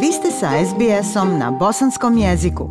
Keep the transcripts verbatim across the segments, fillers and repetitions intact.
Vi ste sa es be esom na bosanskom jeziku.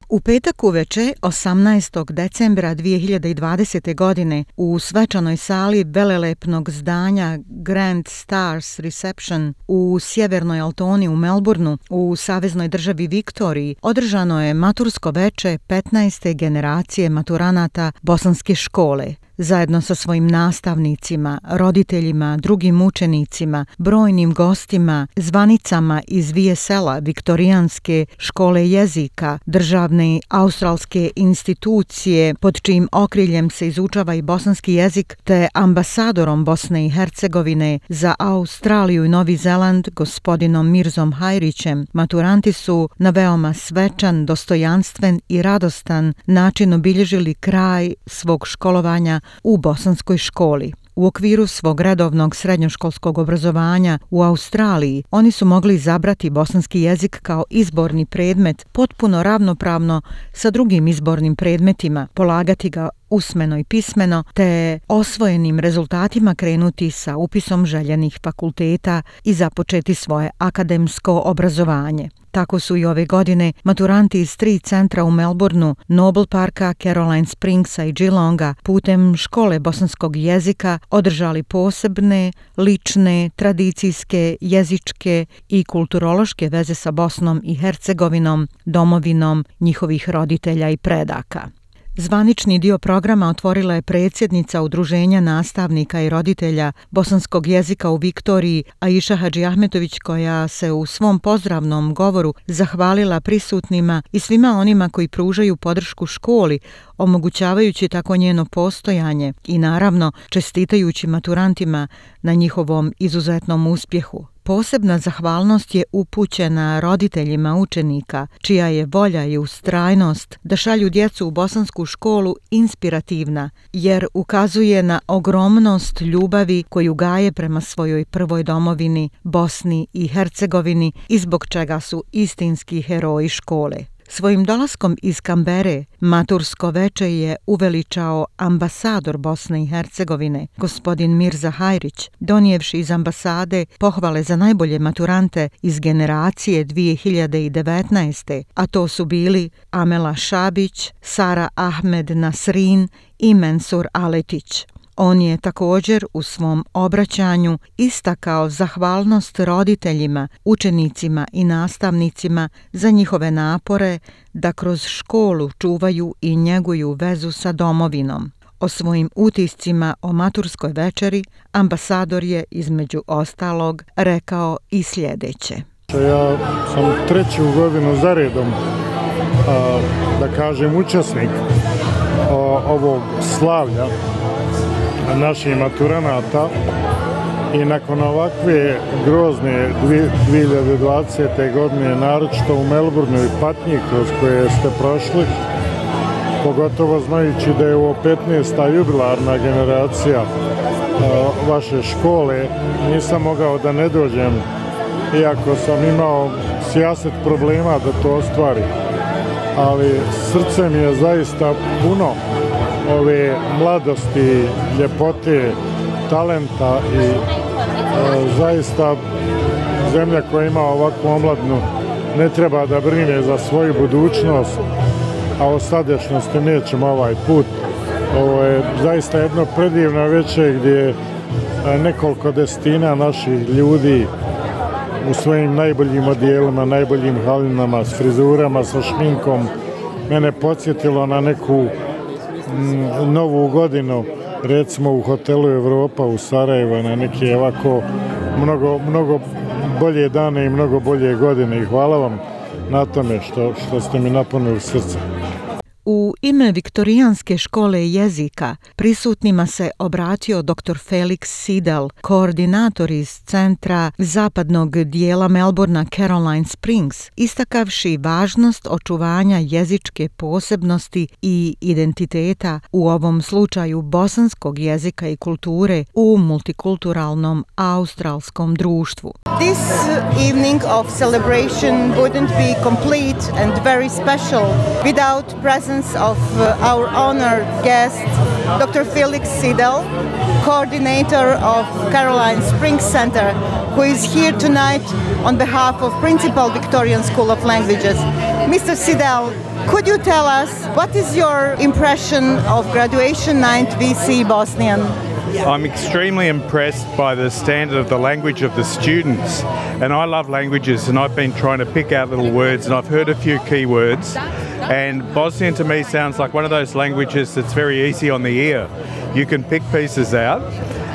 U petak uveče, osamnaestog decembra dvije hiljade dvadesete. godine, u svečanoj sali velelepnog zdanja Grand Stars Reception u sjevernoj Altoni u Melbourneu, u saveznoj državi Viktoriji, održano je matursko veče petnaeste generacije maturanata bosanske škole. Zajedno sa svojim nastavnicima, roditeljima, drugim učenicima, brojnim gostima, zvanicama iz V S L-a, Viktorijanske škole jezika, državne australske institucije pod čijim okriljem se izučava i bosanski jezik, te ambasadorom Bosne i Hercegovine za Australiju i Novi Zeland, gospodinom Mirzom Hajrićem, maturanti su na veoma svečan, dostojanstven i radostan način obilježili kraj svog školovanja u bosanskoj školi. U okviru svog redovnog srednjoškolskog obrazovanja u Australiji oni su mogli izabrati bosanski jezik kao izborni predmet potpuno ravnopravno sa drugim izbornim predmetima, polagati ga usmeno i pismeno, te osvojenim rezultatima krenuti sa upisom željenih fakulteta i započeti svoje akademsko obrazovanje. Tako su i ove godine maturanti iz tri centra u Melbourneu, Noble Parka, Caroline Springsa i Geelonga putem škole bosanskog jezika održali posebne, lične, tradicijske, jezičke i kulturološke veze sa Bosnom i Hercegovinom, domovinom njihovih roditelja i predaka. Zvanični dio programa otvorila je predsjednica Udruženja nastavnika i roditelja bosanskog jezika u Viktoriji, Aisha Hadžiahmetović, koja se u svom pozdravnom govoru zahvalila prisutnima i svima onima koji pružaju podršku školi, omogućavajući tako njeno postojanje i naravno čestitajući maturantima na njihovom izuzetnom uspjehu. Posebna zahvalnost je upućena roditeljima učenika, čija je volja i ustrajnost da šalju djecu u bosansku školu inspirativna, jer ukazuje na ogromnost ljubavi koju gaje prema svojoj prvoj domovini, Bosni i Hercegovini, i zbog čega su istinski heroji škole. Svojim dolaskom iz Kambere matursko veče je uveličao ambasador Bosne i Hercegovine, gospodin Mirza Hajrić, donijevši iz ambasade pohvale za najbolje maturante iz generacije dvije hiljade devetnaeste. a to su bili Amela Šabić, Sara Ahmed Nasrin i Mensur Aletić. On je također u svom obraćanju istakao zahvalnost roditeljima, učenicima i nastavnicima za njihove napore da kroz školu čuvaju i njeguju vezu sa domovinom. O svojim utiscima o maturskoj večeri ambasador je između ostalog rekao i sljedeće. Ja sam treću godinu za redom, a, da kažem, učesnik a, ovog slavlja naših maturanata i nakon ovakve grozne dvije hiljade dvadesete. godine, naročito u Melbourneu i patnji kroz koje ste prošli, pogotovo znajući da je ovo petnaesta jubilarna generacija a, vaše škole, nisam mogao da ne dođem, iako sam imao sijaset problema da to ostvari. Ali srce mi je zaista puno ove mladosti, ljepote, talenta i e, zaista zemlja koja ima ovakvu omladnu ne treba da brine za svoju budućnost, a o sadašnjosti nećemo ovaj put. Ovo je zaista jedno predivno veče gdje nekoliko desetina naših ljudi u svojim najboljim odijelima, najboljim halinama, s frizurama, sa šminkom, mene podsjetilo na neku m, novu godinu, recimo u hotelu Europa u Sarajevo, na neke ovako mnogo, mnogo bolje dane i mnogo bolje godine. I hvala vam na tome što, što ste mi napunili srce. U ime Viktorijanske škole jezika prisutnima se obratio doktor Felix Sidel, koordinator iz centra zapadnog dijela Melbournea Caroline Springs, istakavši važnost očuvanja jezičke posebnosti i identiteta, u ovom slučaju bosanskog jezika i kulture, u multikulturalnom australskom društvu. This evening of celebration wouldn't be complete and very special without presence of uh, our honored guest, doctor Felix Sidel, coordinator of Caroline Springs Center, who is here tonight on behalf of Principal Victorian School of Languages. Mister Sidel, could you tell us what is your impression of Graduation Night V C Bosnian? I'm extremely impressed by the standard of the language of the students, and I love languages, and I've been trying to pick out little words, and I've heard a few key words, and Bosnian to me sounds like one of those languages that's very easy on the ear. You can pick pieces out,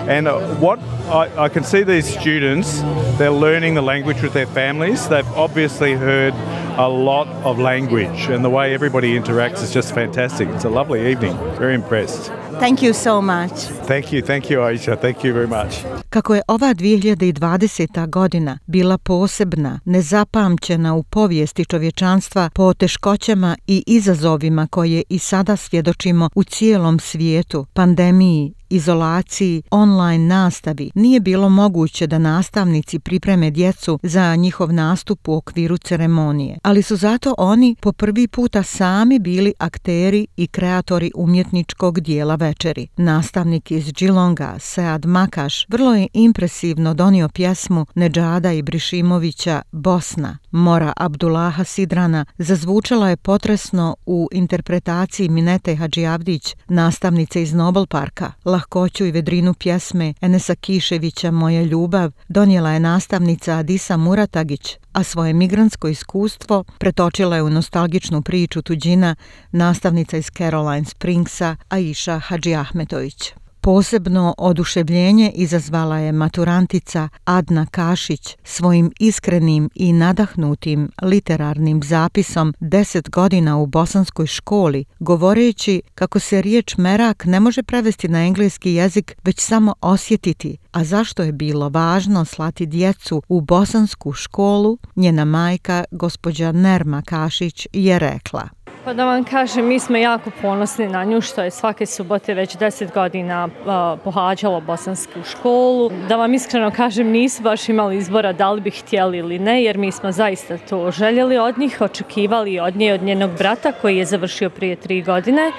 and uh, what I, I can see these students, they're learning the language with their families. They've obviously heard a lot of language, and the way everybody interacts is just fantastic. It's a lovely evening. Very impressed. Thank you so much. Thank you, thank you Aisha, thank you very much. Kako je ova dvije hiljade dvadeseta. godina bila posebna, nezapamćena u povijesti čovječanstva po teškoćama i izazovima koje i sada svjedočimo u cijelom svijetu, pandemiji, izolaciji, online nastavi, nije bilo moguće da nastavnici pripreme djecu za njihov nastup u okviru ceremonije. Ali su zato oni po prvi puta sami bili akteri i kreatori umjetničkog dijela večeri. Nastavnik iz Geelonga, Sead Makaš, vrlo je impresivno donio pjesmu Nedžada Ibrišimovića Bosna. Mora Abdullaha Sidrana zazvučala je potresno u interpretaciji Minete Hadžiavdić, nastavnice iz Nobel Parka. Lahkoću i vedrinu pjesme Enesa Kiševića Moja ljubav donijela je nastavnica Adisa Muratagić, a svoje migrantsko iskustvo pretočila je u nostalgičnu priču tuđina nastavnica iz Caroline Springsa Aisha Hadžiahmetović. Posebno oduševljenje izazvala je maturantica Adna Kašić svojim iskrenim i nadahnutim literarnim zapisom deset godina u bosanskoj školi, govoreći kako se riječ merak ne može prevesti na engleski jezik, već samo osjetiti, a zašto je bilo važno slati djecu u bosansku školu, njena majka, gospođa Nerma Kašić, je rekla. Pa da vam kažem, mi smo jako ponosni na nju što je svake subote već deset godina uh, pohađala bosansku školu. Da vam iskreno kažem, nisu baš imali izbora da li bi htjeli ili ne, jer mi smo zaista to željeli od njih, očekivali od nje i od njenog brata koji je završio prije tri godine,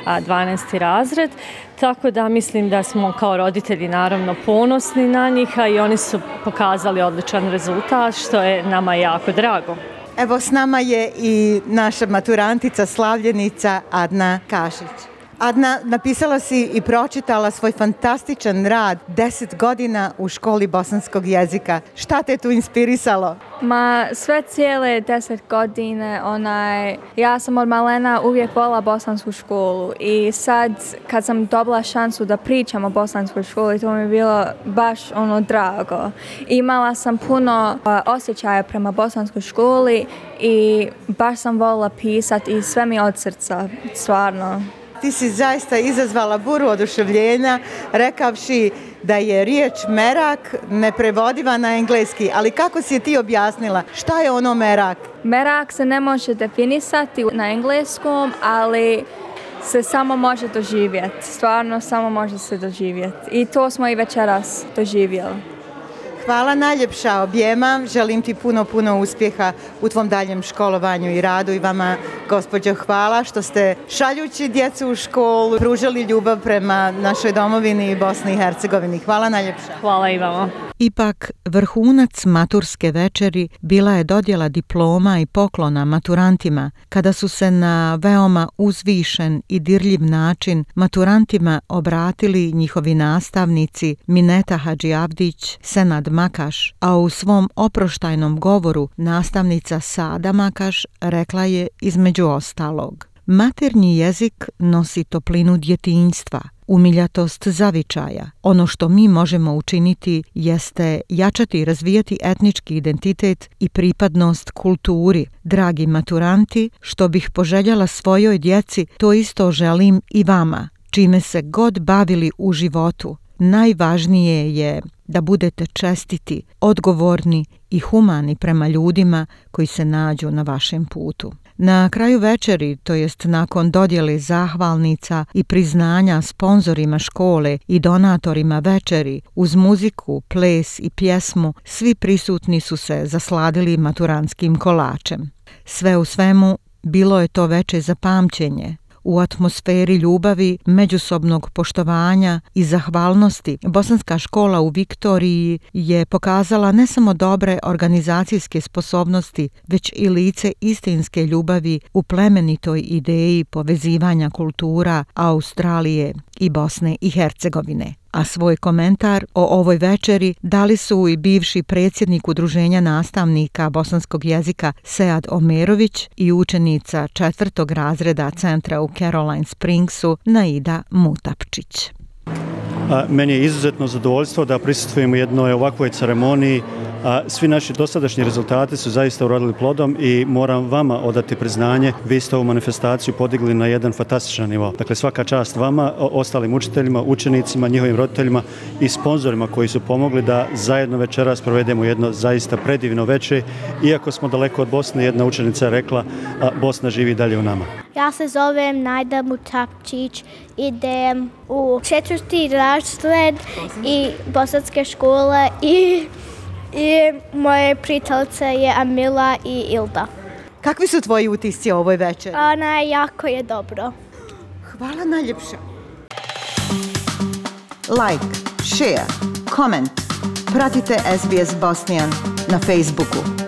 a dvanaesti razred. Tako da mislim da smo kao roditelji naravno ponosni na njih, a i oni su pokazali odličan rezultat, što je nama jako drago. Evo s nama je i naša maturantica, slavljenica Adna Kašić. Adna, napisala si i pročitala svoj fantastičan rad deset godina u školi bosanskog jezika. Šta te tu inspirisalo? Ma sve cijele deset godine, onaj, ja sam od malena uvijek volila bosansku školu i sad kad sam dobila šansu da pričam o bosanskoj školi, to mi je bilo baš ono drago. Imala sam puno uh, osjećaja prema bosanskoj školi i baš sam volila pisati i sve mi od srca, stvarno. Ti si zaista izazvala buru oduševljenja rekavši da je riječ merak neprevodiva na engleski, ali kako si je ti objasnila? Šta je ono merak? Merak se ne može definisati na engleskom, ali se samo može doživjeti. Stvarno samo može se doživjeti. I to smo i večeras doživjeli. Hvala najljepša objema, želim ti puno, puno uspjeha u tvom daljem školovanju i radu i vama, gospođo, hvala što ste šaljući djecu u školu pružali ljubav prema našoj domovini i Bosni i Hercegovini. Hvala najljepša. Hvala i vama. Ipak, vrhunac maturske večeri bila je dodjela diploma i poklona maturantima, kada su se na veoma uzvišen i dirljiv način maturantima obratili njihovi nastavnici Mineta Hadžiavdić, Senad Makaš, a u svom oproštajnom govoru nastavnica Sada Makaš rekla je između ostalog: maternji jezik nosi toplinu djetinjstva, umiljatost zavičaja. Ono što mi možemo učiniti jeste jačati i razvijati etnički identitet i pripadnost kulturi. Dragi maturanti, što bih poželjela svojoj djeci, to isto želim i vama. Čime se god bavili u životu, najvažnije je da budete čestiti, odgovorni i humani prema ljudima koji se nađu na vašem putu. Na kraju večeri, to jest nakon dodjele zahvalnica i priznanja sponzorima škole i donatorima večeri, uz muziku, ples i pjesmu, svi prisutni su se zasladili maturantskim kolačem. Sve u svemu, bilo je to veče za pamćenje. U atmosferi ljubavi, međusobnog poštovanja i zahvalnosti, bosanska škola u Viktoriji je pokazala ne samo dobre organizacijske sposobnosti, već i lice istinske ljubavi u plemenitoj ideji povezivanja kultura Australije i Bosne i Hercegovine. A svoj komentar o ovoj večeri dali su i bivši predsjednik Udruženja nastavnika bosanskog jezika Sead Omerović i učenica četvrtog razreda centra u Caroline Springsu Naida Mutapčić. A, meni je izuzetno zadovoljstvo da prisustvujem u jednoj ovakvoj ceremoniji. A, svi naši dosadašnji rezultati su zaista urodili plodom i moram vama odati priznanje. Vi ste ovu manifestaciju podigli na jedan fantastičan nivo. Dakle, svaka čast vama, ostalim učiteljima, učenicima, njihovim roditeljima i sponzorima koji su pomogli da zajedno večeras provedemo jedno zaista predivno večer. Iako smo daleko od Bosne, jedna učenica je rekla a, Bosna živi dalje u nama. Ja se zovem Naida Mutapčić, idem u četvrti razred i bosanske škole i, i moje prijateljice je Amila i Ilda. Kakvi su tvoji utisci o ovoj večeri? Ona je jako je dobro. Hvala najljepša. Like, share, comment. Pratite S B S Bosnian na Facebooku.